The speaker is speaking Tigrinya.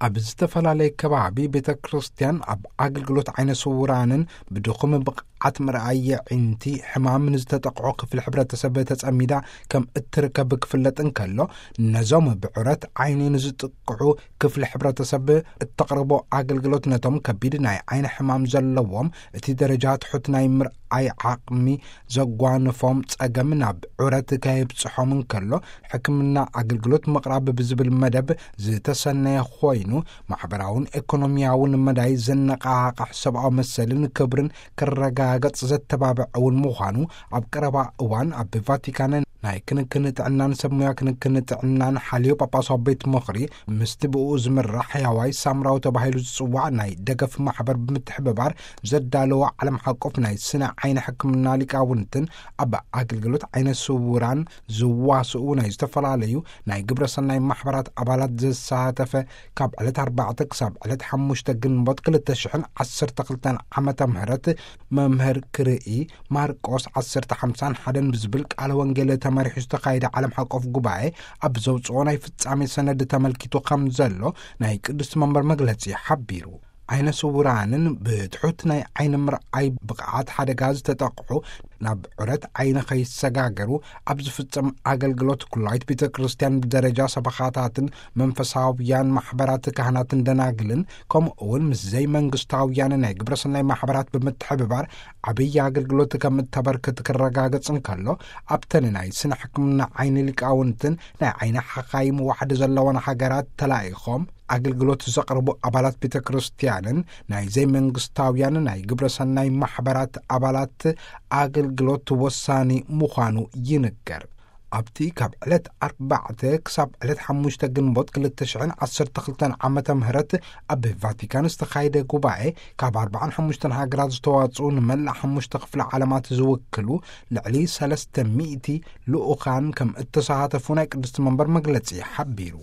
ኣብ ዝተፈላለየ ከባቢ ቤተ ክርስቲያን ኣብ ኣገልግሎት ዓይነ ስውራንን ብድኹም ብቕዓት ምርኣይ የዒንቲ ሕማም ንዝተጠቕዖ ክፍሊ ሕብረተሰብ ተጸሚዳ ከም እትርከብ ክፍለጥ እንከሎ፣ ነዞም ብዑረት ዓይኒ ንዝጥቅዑ ክፍሊ ሕብረተሰብ እተቕርቦ ኣገልግሎት ነቶም ከቢድ ናይ ዓይኒ ሕማም ዘለዎም እቲ ደረጃ ትሑት ናይ ምርኣይ ዓቕሚ ዘጓንፎም ጸገም ናብ ዑረት ከየብጽሖም እንከሎ፣ ሕክምና ኣገልግሎት ምቕራብ ብዝብል መደብ ዝተሰነየ ኮይኑ፣ ማሕበራውን ኤኮኖሚያውን መዳይ ዘነቓቕሕ ሰብኣዊ መሰልን ክብርን ክረጋገጽ ዘተባብዕ እውን ምዃኑ ኣብ ቀረባ እዋን ኣብ ቫቲካን ናይ ክንክን ጥዕናን ሰብ ሙያ ክንክን ጥዕናን ሓልዮ ጳጳሳዊ ቤት ምኽሪ ምስቲ ብኡ ዝምራሕ ሕያዋይ ሳምራዊ ተባሂሉ ዝጽዋዕ ናይ ደገፍ ማሕበር ብምትሕብባር ዘዳለዎ ዓለም ሓቆፍ ናይ ስነ ዓይኒ ሕክምና ሊቃውንትን ኣብ ኣገልግሎት ዓይነ ስውራን ዝዋስኡ ናይ ዝተፈላለዩ ናይ ግብረ ሰናይ ማሕበራት ኣባላት ዘሳተፈ ካብ ዕለት ኣርባዕተ ክሳብ ዕለት ሓሙሽተ ግንቦት ክልተ ሽሕን ዓሰርተ ክልተን ዓመተ ምህረት መምህር ክርኢ ማርቆስ ዓሰርተ ሓምሳን ሓደን ብዝብል ቃለ ወንጌል ተመሪሑ ዝተኻየደ ዓለም ሓቆፍ ጉባኤ ኣብ ዘውፅኦ ናይ ፍጻሜ ሰነድ ተመልኪቱ ከም ዘሎ ናይ ቅዱስ መንበር መግለጺ ሓቢሩ። ዓይነ ስውራንን ብትሑት ናይ ዓይኒ ምርኣይ ብቕዓት ሓደጋ ዝተጠቕዑ ናብ ዑረት ዓይኒ ከይሰጋገሩ ኣብ ዝፍጸም ኣገልግሎት ኩላይት ቤተ ክርስቲያን ብደረጃ ሰበኻታትን መንፈሳውያን ማሕበራት ካህናትን ደናግልን ከምኡ እውን ምስ ዘይመንግስታውያን ናይ ግብረ ሰናይ ማሕበራት ብምትሕብባር ዓብዪ ኣገልግሎት ከም እተበርክት ክረጋገጽ እንከሎ፣ ኣብተን ናይ ስነ ሕክምና ዓይኒ ሊቃውንትን ናይ ዓይኒ ሓኻይም ዋሕዲ ዘለወን ሃገራት ተላኢኾም ኣገልግሎት ዘቕርቡ ኣባላት ቤተ ክርስቲያንን ናይ ዘይመንግስታውያን ናይ ግብረ ሰናይ ማሕበራት ኣባላት ኣገልግሎት ወሳኒ ምዃኑ ይንገር። ኣብቲ ካብ ዕለት ኣርባዕተ ክሳብ ዕለት ሓሙሽተ ግንቦት ክልተ ሽሕን ዓሰርተ ክልተን ዓመተ ምህረት ኣብ ቫቲካን ዝተኻየደ ጉባኤ፣ ካብ ኣርባዓን ሓሙሽተን ሃገራት ዝተዋጽኡ ንመላእ ሓሙሽተ ክፍለ ዓለማት ዝውክሉ ልዕሊ ሰለስተ ሚእቲ ልኡኻን ከም እተሳተፉ ናይ ቅድስቲ መንበር መግለጺ ሓቢሩ።